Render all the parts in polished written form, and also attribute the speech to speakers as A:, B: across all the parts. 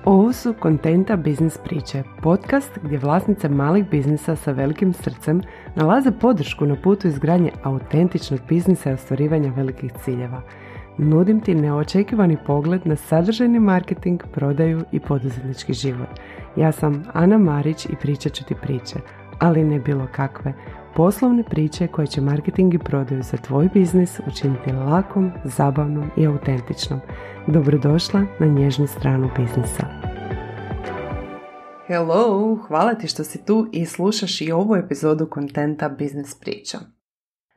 A: Ovo su Kontenta biznis priče, podcast gdje vlasnice malih biznisa sa velikim srcem nalaze podršku na putu izgradnje autentičnog biznisa i ostvarivanja velikih ciljeva. Nudim ti neočekivani pogled na sadržajni marketing, prodaju i poduzetnički život. Ja sam Ana Marić i pričat ću ti priče, ali ne bilo kakve. Poslovne priče koje će marketing i prodaju za tvoj biznis učiniti lakom, zabavnom i autentičnom. Dobrodošla na nježnu stranu biznisa. Hello, hvala ti što si tu i slušaš i ovu epizodu Kontenta biznis priča.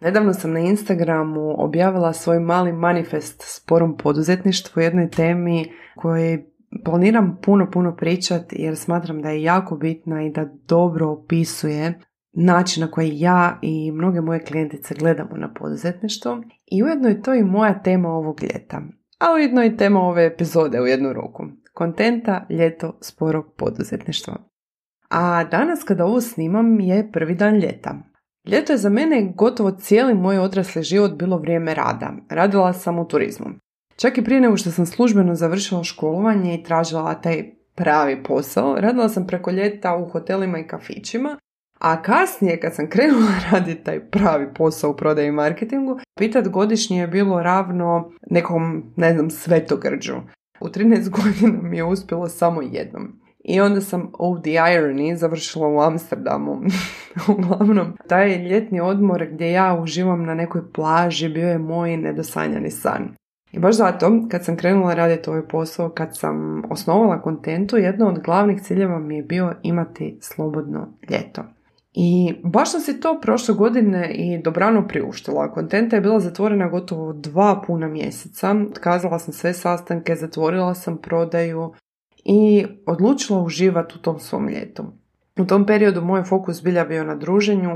A: Nedavno sam na Instagramu objavila svoj mali manifest sporom poduzetništvu, jednoj temi kojoj planiram puno pričati jer smatram da je jako bitna i da dobro opisuje način na koji ja i mnoge moje klijentice gledamo na poduzetništvo i ujedno je to i moja tema ovog ljeta, a ujedno i tema ove epizode u jednu ruku. Kontenta, ljeto, sporog poduzetništva. A danas kada ovo snimam je prvi dan ljeta. Ljeto je za mene gotovo cijeli moj odrasli život bilo vrijeme rada. Radila sam u turizmu. Čak i prije nego što sam službeno završila školovanje i tražila taj pravi posao, radila sam preko ljeta u hotelima i kafićima, a kasnije kad sam krenula raditi taj pravi posao u prodaji i marketingu, pitat godišnje je bilo ravno nekom, svetogrđu. U 13 godina mi je uspjelo samo jednom. I onda sam of the irony završila u Amsterdamu. Uglavnom, taj ljetni odmor gdje ja uživam na nekoj plaži bio je moj nedosanjani san. I baš zato, kad sam krenula raditi ovaj posao, kad sam osnovala Kontentu, jedno od glavnih ciljeva mi je bio imati slobodno ljeto. I baš sam si to prošle godine i dobrano priuštila. Kontenta je bila zatvorena gotovo 2 puna mjeseca. Otkazala sam sve sastanke, zatvorila sam prodaju i odlučila uživati u tom svom ljetu. U tom periodu moj fokus bilja bio na druženju,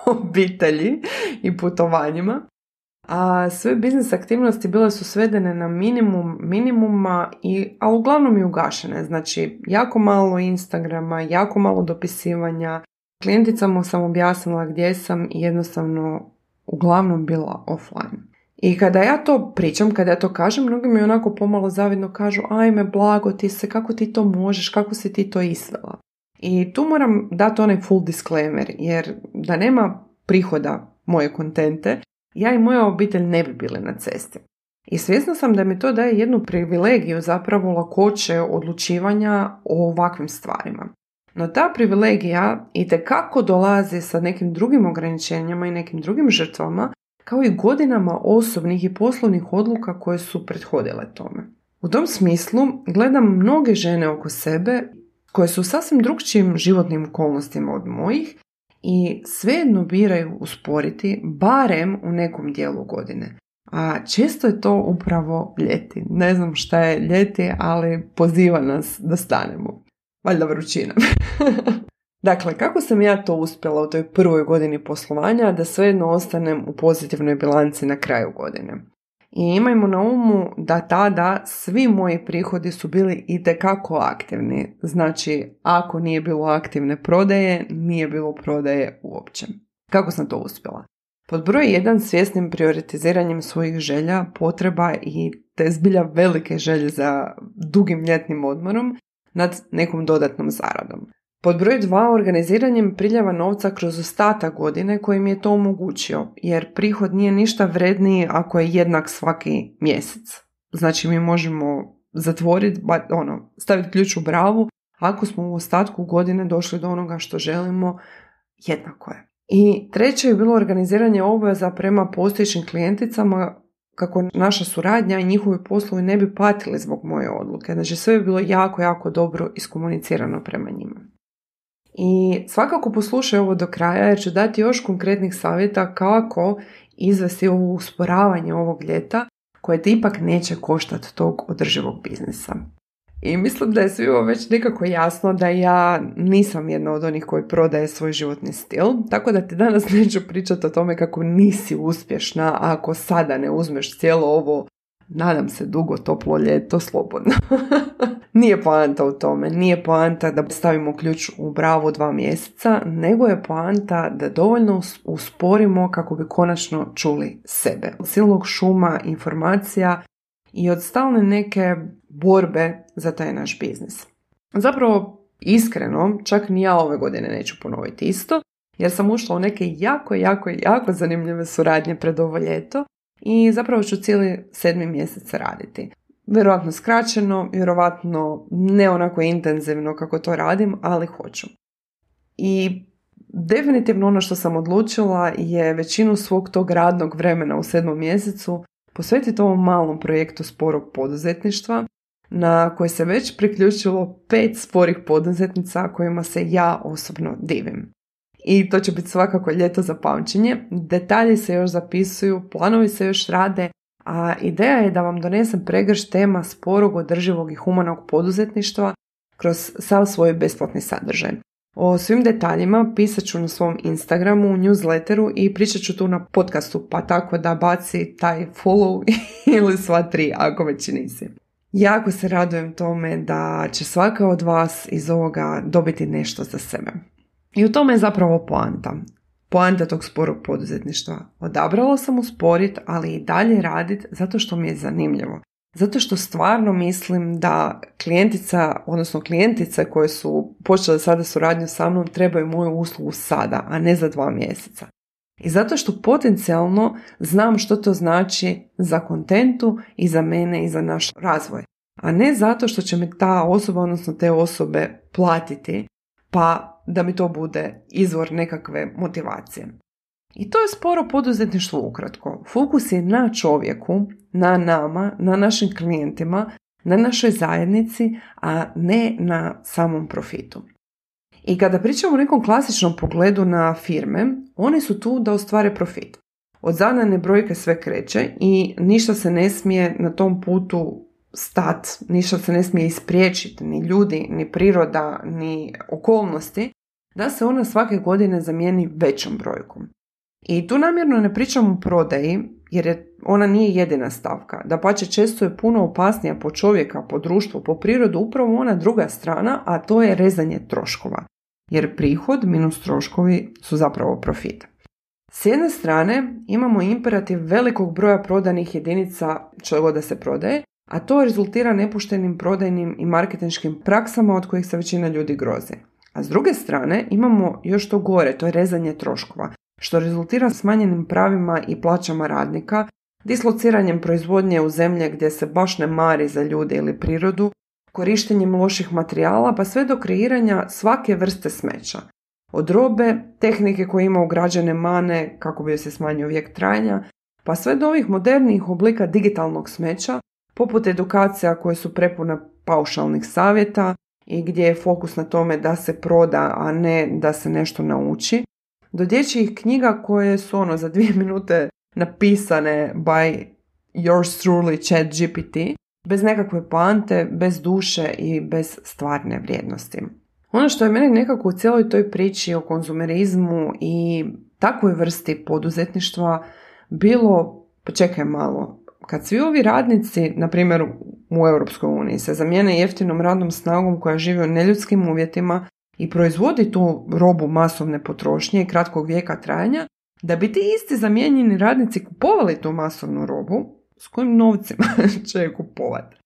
A: obitelji i putovanjima. A sve biznis aktivnosti bile su svedene na minimuma, a uglavnom i ugašene. Znači, jako malo Instagrama, jako malo dopisivanja. Klijenticama sam objasnila gdje sam i jednostavno uglavnom bila offline. I kada ja to pričam, kada ja to kažem, mnogi mi onako pomalo zavidno kažu: ajme, blago ti se, kako ti to možeš, kako si ti to isvela. I tu moram dati onaj full disclaimer, jer da nema prihoda moje kontente, ja i moja obitelj ne bi bili na cesti. I svjesna sam da mi to daje jednu privilegiju, zapravo lakoće odlučivanja o ovakvim stvarima. No ta privilegija itekako dolazi sa nekim drugim ograničenjama i nekim drugim žrtvama, kao i godinama osobnih i poslovnih odluka koje su prethodile tome. U tom smislu gledam mnoge žene oko sebe koje su u sasvim drugčijim životnim okolnostima od mojih i svejedno biraju usporiti, barem u nekom dijelu godine. A često je to upravo ljeti. Ne znam šta je ljeti, ali poziva nas da stanemo. Valjda vrućina. Dakle, kako sam ja to uspjela u toj prvoj godini poslovanja da svejedno ostanem u pozitivnoj bilanci na kraju godine? I imajmo na umu da tada svi moji prihodi su bili itekako aktivni. Znači, ako nije bilo aktivne prodaje, nije bilo prodaje uopće. Kako sam to uspjela? Pod broj 1, svjesnim prioritiziranjem svojih želja, potreba i te zbilja velike želje za dugim ljetnim odmorom nad nekom dodatnom zaradom. Pod broj 2, organiziranjem priljeva novca kroz ostatak godine koji mi je to omogućio, jer prihod nije ništa vredniji ako je jednak svaki mjesec. Znači mi možemo zatvoriti, staviti ključ u bravu, ako smo u ostatku godine došli do onoga što želimo, jednako je. I treće je bilo organiziranje obveza prema postojećim klijenticama kako naša suradnja i njihovi poslovi ne bi patili zbog moje odluke. Znači sve je bilo jako dobro iskomunicirano prema njima. I svakako poslušaj ovo do kraja jer ću dati još konkretnih savjeta kako izvesti ovo usporavanje ovog ljeta koje te ipak neće koštati tog održivog biznisa. I mislim da je svima već nekako jasno da ja nisam jedna od onih koji prodaje svoj životni stil, tako da ti danas neću pričati o tome kako nisi uspješna ako sada ne uzmeš cijelo ovo, nadam se, dugo toplo ljeto slobodno. Nije poanta u tome, nije poanta da stavimo ključ u bravu 2 mjeseca, nego je poanta da dovoljno usporimo kako bi konačno čuli sebe. Silnog šuma informacija i od stalne neke borbe za taj naš biznis. Zapravo, iskreno, čak ni ja ove godine neću ponoviti isto, jer sam ušla u neke jako zanimljive suradnje pred ovo ljeto i zapravo ću cijeli 7. mjesec raditi. Vjerojatno skraćeno, vjerojatno ne onako intenzivno kako to radim, ali hoću. I definitivno ono što sam odlučila je većinu svog tog radnog vremena u 7. mjesecu posvetiti ovom malom projektu sporog poduzetništva na koje se već priključilo 5 sporih poduzetnica kojima se ja osobno divim. I to će biti svakako ljeto za pamćenje, detalji se još zapisuju, planovi se još rade, a ideja je da vam donesem pregršt tema sporog, održivog i humanog poduzetništva kroz sav svoj besplatni sadržaj. O svim detaljima pisat ću na svom Instagramu, u newsletteru i pričat ću tu na podcastu, pa tako da baci taj follow ili sva 3 ako već nisi. Jako se radujem tome da će svaka od vas iz ovoga dobiti nešto za sebe. I u tome je zapravo poanta. Poanta tog sporog poduzetništva. Odabrala sam usporit, ali i dalje radit zato što mi je zanimljivo. Zato što stvarno mislim da klijentice koje su počele sada suradnju sa mnom trebaju moju uslugu sada, a ne za 2 mjeseca. I zato što potencijalno znam što to znači za kontentu i za mene i za naš razvoj. A ne zato što će me ta osoba, odnosno te osobe platiti, pa da mi to bude izvor nekakve motivacije. I to je sporo poduzetništvo ukratko. Fokus je na čovjeku, na nama, na našim klijentima, na našoj zajednici, a ne na samom profitu. I kada pričamo o nekom klasičnom pogledu na firme, one su tu da ostvare profit. Od zadane brojke sve kreće i ništa se ne smije na tom putu stat, ništa se ne smije ispriječiti, ni ljudi, ni priroda, ni okolnosti, da se ona svake godine zamijeni većom brojkom. I tu namjerno ne pričam o prodaji, jer ona nije jedina stavka. Dapače, često je puno opasnija po čovjeka, po društvu, po prirodu, upravo ona druga strana, a to je rezanje troškova. Jer prihod minus troškovi su zapravo profit. S jedne strane imamo imperativ velikog broja prodanih jedinica što god da se prodaje, a to rezultira nepoštenim prodajnim i marketinškim praksama od kojih se većina ljudi grozi. A s druge strane imamo još to gore, to je rezanje troškova, što rezultira smanjenim pravima i plaćama radnika, dislociranjem proizvodnje u zemlje gdje se baš ne mari za ljude ili prirodu, korištenjem loših materijala pa sve do kreiranja svake vrste smeća. Od robe, tehnike koje ima ugrađene mane kako bi se smanjio vijek trajanja, pa sve do ovih modernijih oblika digitalnog smeća, poput edukacija koje su prepune paušalnih savjeta i gdje je fokus na tome da se proda, a ne da se nešto nauči, do dječjih knjiga koje su za 2 minute napisane by yours truly ChatGPT, bez nekakve poante, bez duše i bez stvarne vrijednosti. Ono što je meni nekako u cijeloj toj priči o konzumerizmu i takvoj vrsti poduzetništva bilo, počekaj malo, kad svi ovi radnici, na primjer u Europskoj uniji, se zamijene jeftinom radnom snagom koja živi u neljudskim uvjetima i proizvodi tu robu masovne potrošnje i kratkog vijeka trajanja, da bi ti isti zamijenjeni radnici kupovali tu masovnu robu, s kojim novcima će je kupovati.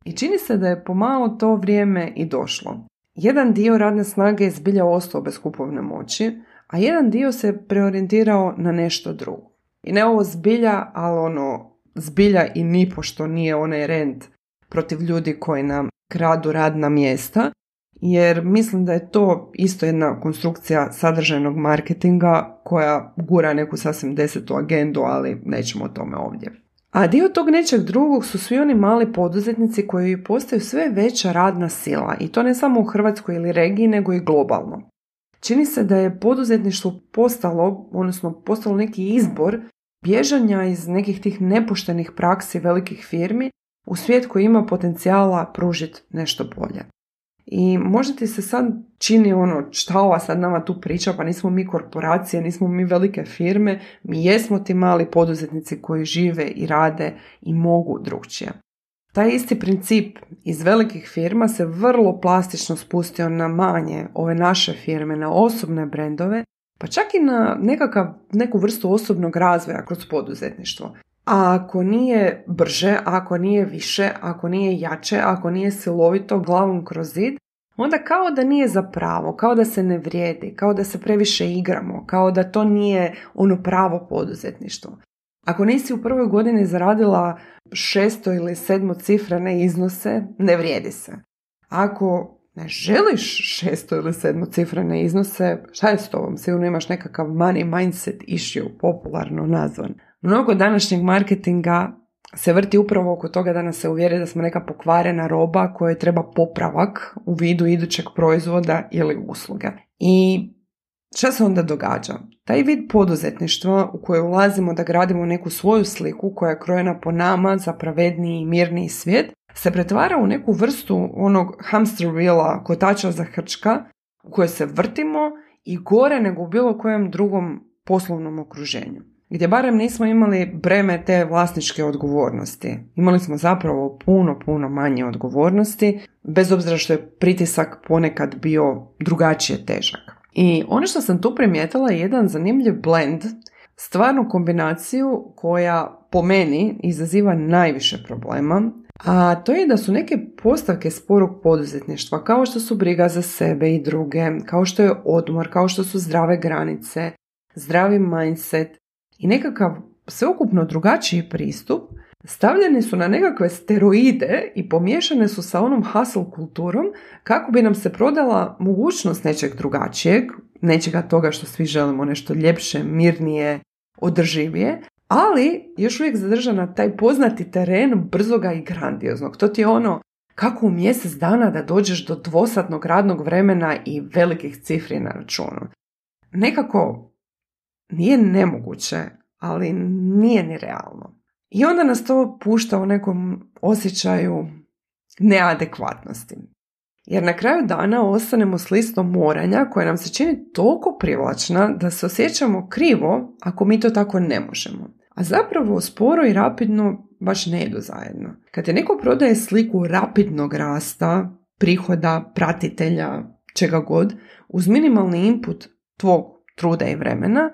A: I čini se da je pomalo to vrijeme i došlo. Jedan dio radne snage je zbilja ostao bez kupovne moći, a jedan dio se preorijentirao na nešto drugo. I ne ovo zbilja, ali zbilja i nipošto nije onaj rent protiv ljudi koji nam kradu radna mjesta, jer mislim da je to isto jedna konstrukcija sadržajnog marketinga koja gura neku sasvim 10. agendu, ali nećemo o tome ovdje. A dio tog nečeg drugog su svi oni mali poduzetnici koji postaju sve veća radna sila i to ne samo u Hrvatskoj ili regiji, nego i globalno. Čini se da je poduzetništvo postalo neki izbor bježanja iz nekih tih nepoštenih praksi velikih firmi u svijet koji ima potencijala pružiti nešto bolje. I možda ti se sad čini šta ova sad nama tu priča, pa nismo mi korporacije, nismo mi velike firme, mi jesmo ti mali poduzetnici koji žive i rade i mogu drugčije. Taj isti princip iz velikih firma se vrlo plastično spustio na manje, ove naše firme, na osobne brendove, pa čak i na neku vrstu osobnog razvoja kroz poduzetništvo. A ako nije brže, ako nije više, ako nije jače, ako nije silovito glavom kroz zid, onda kao da nije za pravo, kao da se ne vrijedi, kao da se previše igramo, kao da to nije ono pravo poduzetništvo. Ako nisi u prvoj godini zaradila 600 ili 7 cifrene iznose, ne vrijedi se. Ako ne želiš 600 ili 7 cifrene iznose, šta je s tobom? Sigurno imaš nekakav money mindset issue, popularno nazvan. Mnogo današnjeg marketinga se vrti upravo oko toga da nas se uvjeri da smo neka pokvarena roba kojoj treba popravak u vidu idućeg proizvoda ili usluge. I šta se onda događa? Taj vid poduzetništva u koje ulazimo da gradimo neku svoju sliku koja je krojena po nama za pravedniji i mirniji svijet, se pretvara u neku vrstu onog hamster wheela, kotača za hrčka, u kojoj se vrtimo i gore nego u bilo kojem drugom poslovnom okruženju. Gdje barem nismo imali breme te vlasničke odgovornosti. Imali smo zapravo puno manje odgovornosti, bez obzira što je pritisak ponekad bio drugačije težak. I ono što sam tu primijetila je jedan zanimljiv blend, stvarnu kombinaciju koja po meni izaziva najviše problema, a to je da su neke postavke sporog poduzetništva, kao što su briga za sebe i druge, kao što je odmor, kao što su zdrave granice, zdravi mindset i nekakav sveukupno drugačiji pristup, stavljeni su na nekakve steroide i pomiješane su sa onom hustle kulturom kako bi nam se prodala mogućnost nečeg drugačijeg, nečega toga što svi želimo, nešto ljepše, mirnije, održivije, ali još uvijek zadržana taj poznati teren brzoga i grandioznog. To ti je ono kako u mjesec dana da dođeš do 2-satnog radnog vremena i velikih cifri na računu. Nekako nije nemoguće, ali nije ni realno. I onda nas to pušta u nekom osjećaju neadekvatnosti. Jer na kraju dana ostanemo s listom moranja koja nam se čini toliko privlačna da se osjećamo krivo ako mi to tako ne možemo. A zapravo sporo i rapidno baš ne idu zajedno. Kad te neko prodaje sliku rapidnog rasta, prihoda, pratitelja, čega god, uz minimalni input tvog truda i vremena,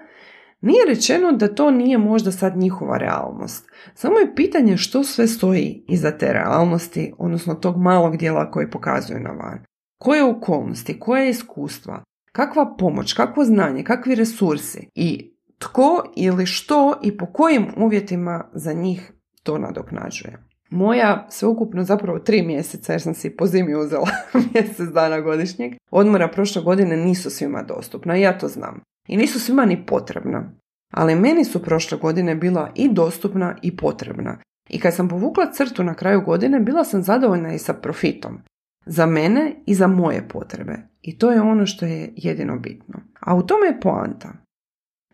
A: nije rečeno da to nije možda sad njihova realnost. Samo je pitanje što sve stoji iza te realnosti, odnosno tog malog dijela koji pokazuju na van. Koje okolnosti, koje iskustva, kakva pomoć, kakvo znanje, kakvi resursi i tko ili što i po kojim uvjetima za njih to nadoknađuje. Moja sveukupno zapravo 3 mjeseca, jer sam si po zimi uzela mjesec dana godišnjeg, odmora prošle godine nisu svima dostupna, ja to znam. I nisu svima ni potrebna. Ali meni su prošle godine bila i dostupna i potrebna. I kad sam povukla crtu na kraju godine, bila sam zadovoljna i sa profitom. Za mene i za moje potrebe. I to je ono što je jedino bitno. A u tome je poanta.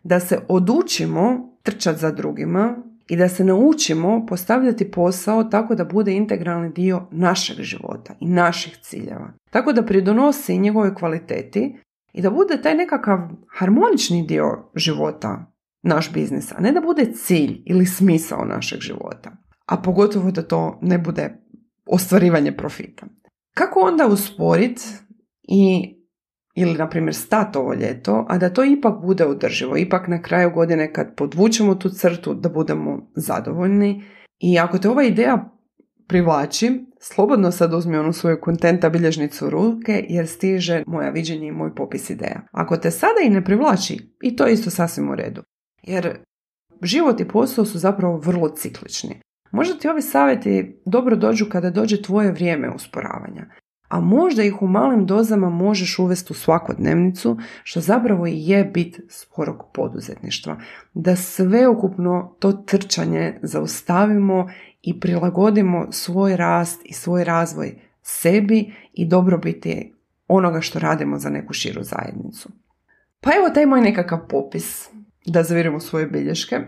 A: Da se odučimo trčati za drugima i da se naučimo postavljati posao tako da bude integralni dio našeg života i naših ciljeva. Tako da pridonosi njegove kvaliteti i da bude taj nekakav harmonični dio života naš biznis, a ne da bude cilj ili smisao našeg života. A pogotovo da to ne bude ostvarivanje profita. Kako onda usporiti ili na primjer stati ovo ljeto, a da to ipak bude održivo, ipak na kraju godine kad podvučemo tu crtu da budemo zadovoljni. I ako te ova ideja privlači, slobodno sad uzmi onu svoju kontenta bilježnicu u ruke jer stiže moja viđenja i moj popis ideja. Ako te sada i ne privlači, i to je isto sasvim u redu. Jer život i posao su zapravo vrlo ciklični. Možda ti ovi savjeti dobro dođu kada dođe tvoje vrijeme usporavanja. A možda ih u malim dozama možeš uvesti u svakodnevnicu, što zapravo i je bit sporog poduzetništva. Da sveukupno to trčanje zaustavimo i prilagodimo svoj rast i svoj razvoj sebi i dobrobiti onoga što radimo za neku širu zajednicu. Pa evo taj moj nekakav popis, da zavirimo svoje bilješke.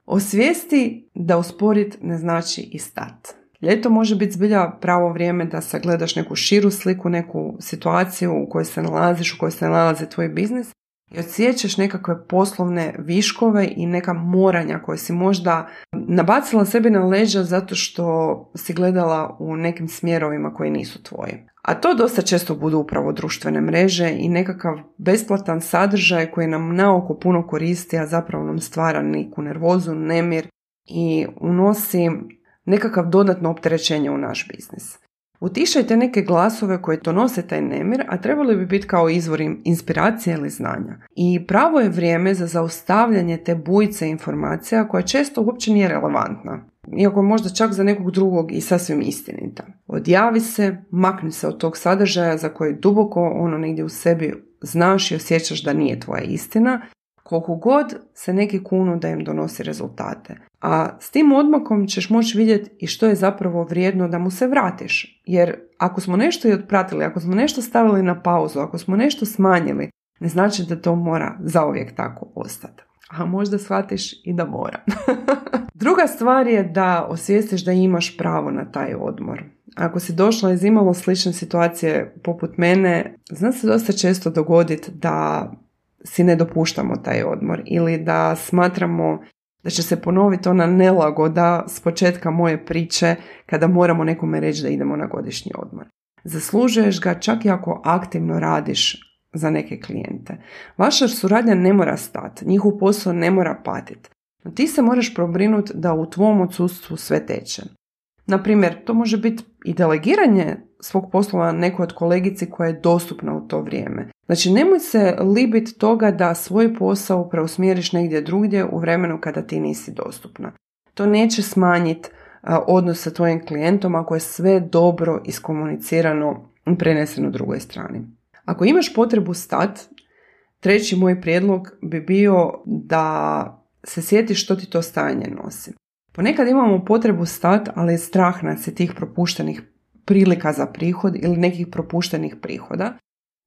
A: Osvijesti da usporit ne znači i stat. Ljeto može biti zbilja pravo vrijeme da sagledaš neku širu sliku, neku situaciju u kojoj se nalaziš, u kojoj se nalazi tvoj biznis i odsjećaš nekakve poslovne viškove i neka moranja koje si možda nabacila sebi na leđa zato što si gledala u nekim smjerovima koji nisu tvoji. A to dosta često budu upravo društvene mreže i nekakav besplatan sadržaj koji nam naoko puno koristi, a zapravo nam stvara neku nervozu, nemir i unosi nekakav dodatno opterećenje u naš biznis. Utišajte neke glasove koje donose taj nemir, a trebali bi biti kao izvor inspiracije ili znanja. I pravo je vrijeme za zaustavljanje te bujice informacija koja često uopće nije relevantna, iako je možda čak za nekog drugog i sasvim istinita. Odjavi se, makni se od tog sadržaja za koji duboko negdje u sebi znaš i osjećaš da nije tvoja istina, koliko god se neki kunu da im donosi rezultate. A s tim odmakom ćeš moći vidjeti i što je zapravo vrijedno da mu se vratiš. Jer ako smo nešto i otpratili, ako smo nešto stavili na pauzu, ako smo nešto smanjili, ne znači da to mora zauvijek tako ostati. A možda shvatiš i da mora. Druga stvar je da osvijestiš da imaš pravo na taj odmor. Ako si došla iz imalo slične situacije poput mene, zna se dosta često dogoditi da si ne dopuštamo taj odmor ili da smatramo da će se ponoviti ona nelagoda s početka moje priče kada moramo nekome reći da idemo na godišnji odmor. Zaslužuješ ga čak i ako aktivno radiš za neke klijente. Vaša suradnja ne mora stati, njihov posao ne mora patiti. No ti se moraš pobrinuti da u tvom odsustvu sve teče. Naprimjer, to može biti i delegiranje svog poslova nekoj od kolegici koja je dostupna u to vrijeme. Znači, nemoj se libiti toga da svoj posao preusmjeriš negdje drugdje u vremenu kada ti nisi dostupna. To neće smanjiti odnos sa tvojim klijentom ako je sve dobro iskomunicirano i preneseno drugoj strani. Ako imaš potrebu stati, treći moj prijedlog bi bio da se sjetiš što ti to stajanje nosi. Ponekad imamo potrebu stati, ali je strah nas je tih propuštenih prilika za prihod ili nekih propuštenih prihoda.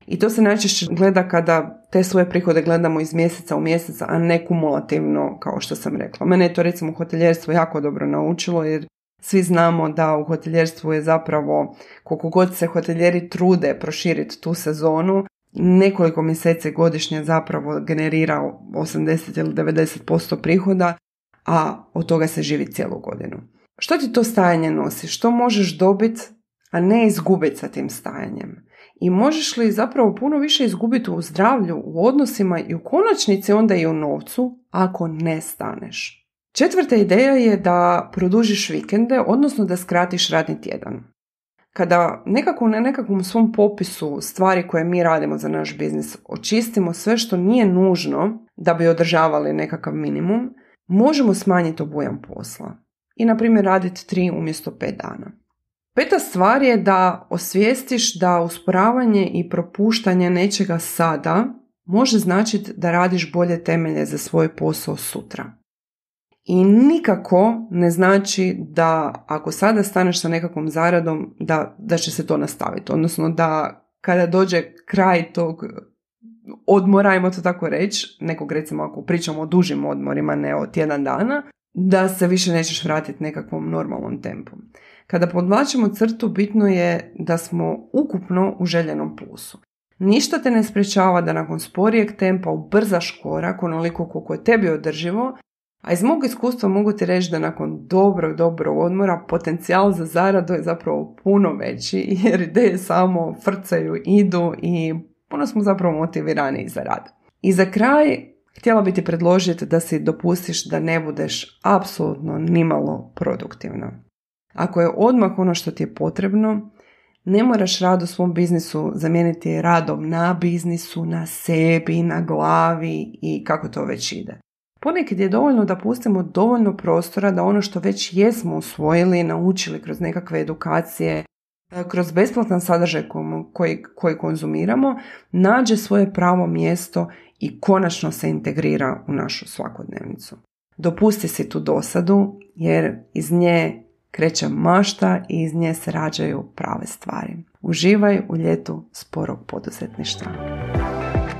A: I to se najčešće gleda kada te svoje prihode gledamo iz mjeseca u mjesec, a ne kumulativno, kao što sam rekla. Mene je to recimo hoteljerstvo jako dobro naučilo, jer svi znamo da u hoteljerstvu je zapravo, koliko god se hotelijeri trude proširiti tu sezonu, nekoliko mjeseci godišnje zapravo generira 80 ili 90% prihoda, a od toga se živi cijelu godinu. Što ti to stajanje nosi? Što možeš dobiti, a ne izgubiti sa tim stajanjem? I možeš li zapravo puno više izgubiti u zdravlju, u odnosima i u konačnici onda i u novcu ako ne staneš? Četvrta ideja je da produžiš vikende, odnosno da skratiš radni tjedan. Kada nekako na nekakvom svom popisu stvari koje mi radimo za naš biznis očistimo sve što nije nužno da bi održavali nekakav minimum, možemo smanjiti obujam posla i, na primjer, raditi 3 umjesto 5 dana. Peta stvar je da osvijestiš da usporavanje i propuštanje nečega sada može značiti da radiš bolje temelje za svoj posao sutra. I nikako ne znači da ako sada staneš sa nekakvom zaradom da će se to nastaviti. Odnosno da kada dođe kraj tog odmora, ajmo to tako reći, nekog recimo ako pričamo o dužim odmorima, ne o tjedan dana, da se više nećeš vratiti nekakvom normalnom tempu. Kada podvlačimo crtu, bitno je da smo ukupno u željenom plusu. Ništa te ne sprečava da nakon sporijeg tempa ubrzaš korak onoliko koliko je tebi održivo, a iz mog iskustva mogu ti reći da nakon dobrog odmora potencijal za zaradu je zapravo puno veći, jer ideje samo frcaju, idu i puno smo zapravo motivirani za rad. I za kraj, htjela bi ti predložiti da si dopustiš da ne budeš apsolutno nimalo produktivna. Ako je odmah ono što ti je potrebno, ne moraš rad u svom biznisu zamijeniti radom na biznisu, na sebi, na glavi i kako to već ide. Ponekad je dovoljno da pustimo dovoljno prostora da ono što već jesmo usvojili, naučili kroz nekakve edukacije, kroz besplatan sadržaj koji konzumiramo, nađe svoje pravo mjesto i konačno se integrira u našu svakodnevnicu. Dopusti si tu dosadu, jer iz nje kreće mašta i iz nje se rađaju prave stvari. Uživaj u ljetu sporog poduzetništva.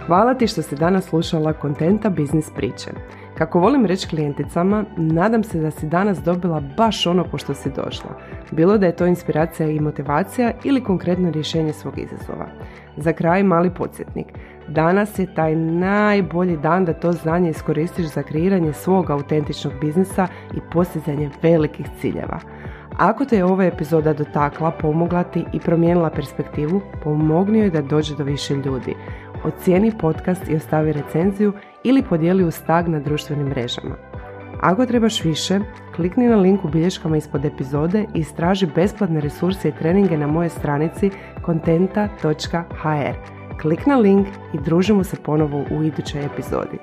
A: Hvala ti što si danas slušala Kontenta biznis priče. Kako volim reći klijenticama, nadam se da si danas dobila baš ono po što si došla. Bilo da je to inspiracija i motivacija ili konkretno rješenje svog izazova. Za kraj mali podsjetnik. Danas je taj najbolji dan da to znanje iskoristiš za kreiranje svog autentičnog biznisa i postizanje velikih ciljeva. Ako te je ova epizoda dotakla, pomogla ti i promijenila perspektivu, pomogni joj da dođe do više ljudi. Ocijeni podcast i ostavi recenziju ili podijeli uz tag na društvenim mrežama. Ako trebaš više, klikni na link u bilješkama ispod epizode i istraži besplatne resurse i treninge na mojoj stranici kontenta.hr. Klik na link i družimo se ponovo u idućoj epizodi.